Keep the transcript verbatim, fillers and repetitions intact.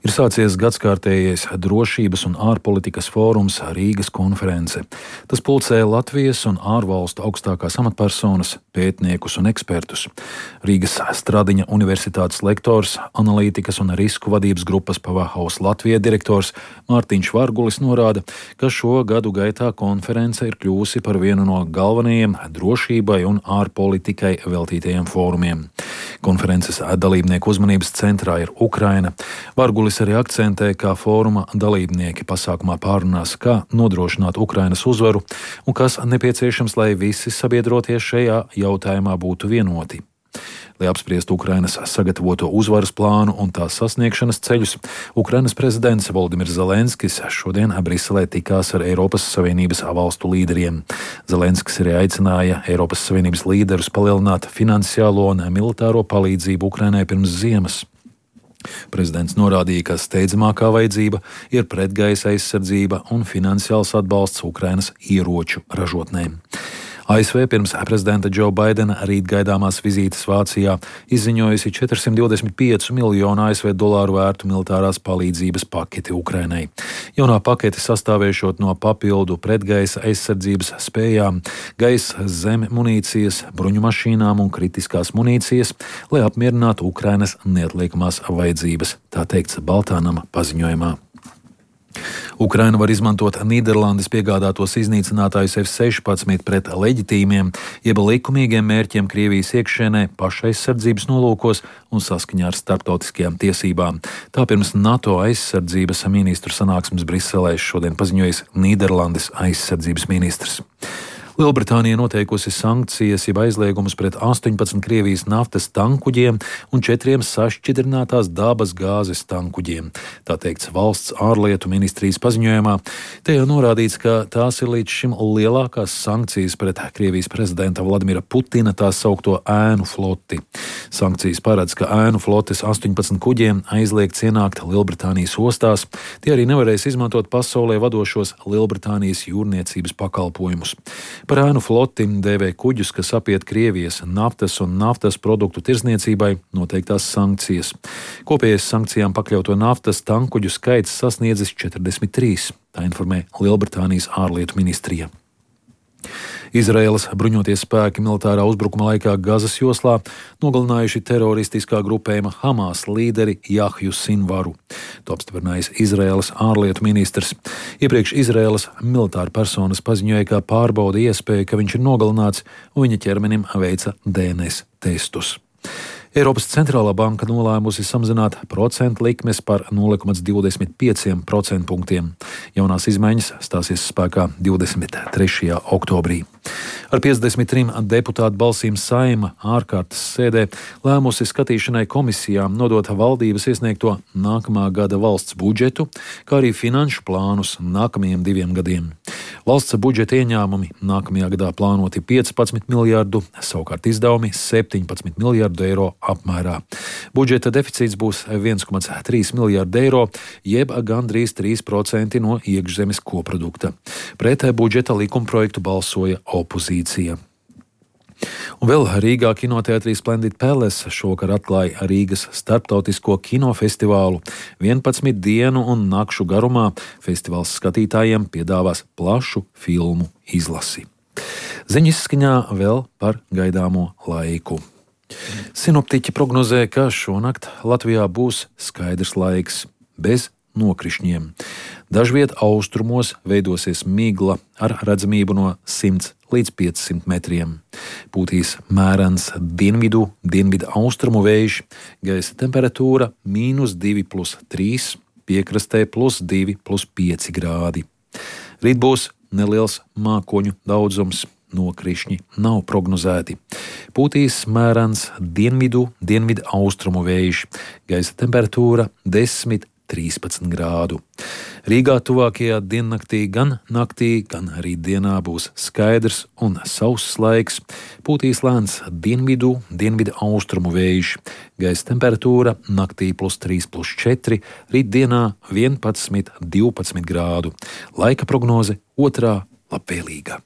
Ir sācies gadskārtējais drošības un ārpolitikas fórums Rīgas konference. Tas pulcē Latvijas un ārvalstu augstākās amatpersonas, pētniekus un ekspertus. Rīgas Stradiņa universitātes lektors, analītikas un risku vadības grupas Powerhouse Latvija direktors Mārtiņš Vargulis norāda, ka šo gadu gaitā konference ir kļūsi par vienu no galvenajiem drošībai un ārpolitikai veltītajiem fórumiem. Konferences dalībnieku uzmanības centrā ir Ukraina. Vargulis arī akcentē, ka fóruma dalībnieki pasākumā pārunās, kā nodrošināt Ukrainas uzvaru un kas nepieciešams, lai visi sabiedrotie šajā jautājumā būtu vienoti. Lai apspriestu Ukrainas sagatavoto uzvaras plānu un tās sasniegšanas ceļus, Ukrainas prezidents Volodimirs Zelenskis šodien Briselē tikās ar Eiropas Savienības valstu līderiem. Zelenskis arī aicināja Eiropas Savienības līderus palielināt finansiālo un militāro palīdzību Ukrainai pirms ziemas. Prezidents norādīja, ka steidzamākā vajadzība ir pretgaisa aizsardzība un finansiāls atbalsts Ukrainas ieroču ražotnēm. A S V pirms prezidenta Džo Baidena rīt gaidāmās vizītes Vācijā izziņojusi četrsimt divdesmit pieci miljonu A S V dolāru vērtu militārās palīdzības paketi Ukrainai. Jaunā pakete sastāvēšot no papildu pretgaisa aizsardzības spējām, gaisa zeme munīcijas, bruņu mašīnām un kritiskās munīcijas, lai apmierinātu Ukrainas neatliekamās vajadzības, tā teikts Baltā nama paziņojumā. Ukraina var izmantot Nīderlandes piegādātos iznīcinātājus F sešpadsmit pret leģitīmiem, jeb likumīgiem mērķiem Krievijas iekšienē, pašaizsardzības nolūkos un saskaņā ar starptautiskajām tiesībām. Tā pirms NATO aizsardzības ministru sanāksmes Briselē šodien paziņojis Nīderlandes aizsardzības ministrs. Lielbritānija noteikusi sankcijas jeb aizliegumus pret astoņpadsmit Krievijas naftas tankuģiem un četriem sašķidrinātās dabas gāzes tankuģiem. Tā teikts valsts ārlietu ministrijas paziņojumā. Tajā norādīts, ka tās ir līdz šim lielākās sankcijas pret Krievijas prezidenta Vladimira Putina tā saukto ēnu floti. Sankcijas paredz, ka ēnu flotes astoņpadsmit kuģiem aizliegts ienākt Lielbritānijas ostās. Tie arī nevarēs izmantot pasaulē vadošos Lielbritānijas jūrniecības pakalpojumus. Par ēnu floti dēvē kuģus, kas apiet Krievijas naftas un naftas produktu tirdzniecībai noteiktās sankcijas. Kopējais sankcijām pakļauto naftas tankuģu skaits sasniedzis četrdesmit trīs, tā informē Lielbritānijas ārlietu ministrija. Izraēlas bruņoties spēki militārā uzbrukuma laikā Gazas joslā nogalinājuši teroristiskā grupējuma Hamas līderi Jahju Sinvaru. To apstiprinājis Izraēlas ārlietu ministrs. Iepriekš Izraēlas militāra personas paziņoja, ka pārbauda iespēju, ka viņš ir nogalināts, un viņa ķermenim veica D N S testus. Eiropas centrālā banka nolēmusi samazināt procentu likmes par nulle komats divdesmit pieci procentpunktiem. Jaunās izmaiņas stāsies spēkā divdesmit trešajā oktobrī. Ar piecdesmit trim deputātu balsīm Saeima ārkārtas sēdē lēmusi skatīšanai komisijām nodot valdības iesniegto nākamā gada valsts budžetu, kā arī finanšu plānus nākamajiem diviem gadiem. Valsts budžeta ieņēmumi nākamajā gadā plānoti piecpadsmit miljārdu, savukārt izdevumi septiņpadsmit miljārdu eiro apmērā. Budžeta deficīts būs viens komats trīs miljārdi eiro, jeb gandrīz trīs procenti no iekšzemes koprodukta. Pret budžeta likumprojektu balsoja opozīcija. Un vēl Rīgā kinoteātrī Splendid Palace šovakar atklāja Rīgas starptautisko kinofestivālu. vienpadsmit dienu un nakšu garumā festivāls skatītājiem piedāvās plašu filmu izlasi. Ziņu izskaņā vēl par gaidāmo laiku. Sinoptiķi prognozē, ka šonakt Latvijā būs skaidrs laiks, bez nokrišņiem. Dažviet austrumos veidosies migla ar redzamību no simts līdz piecsimt metriem. Pūtīs mērens dienvidu, dienvidu austrumu vējš, gaisa temperatūra mīnus divi plus trīs, piekrastē plus divi plus pieci grādi. Rīt būs neliels mākoņu daudzums, nokrišņi nav prognozēti. Pūtīs mērens dienvidu, dienvidu austrumu vējš, gaisa temperatūra desmit trīspadsmit grādu. Rīgā tuvākajā diennaktī gan naktī, gan arī dienā būs skaidrs un sauss laiks. Pūtīs lēns dienvidu, dienvidu austrumu vējš. Gaisa temperatūra naktī plus trīs plus četri, rīt dienā vienpadsmit divpadsmit grādu. Laika prognoze otrā labvēlīga.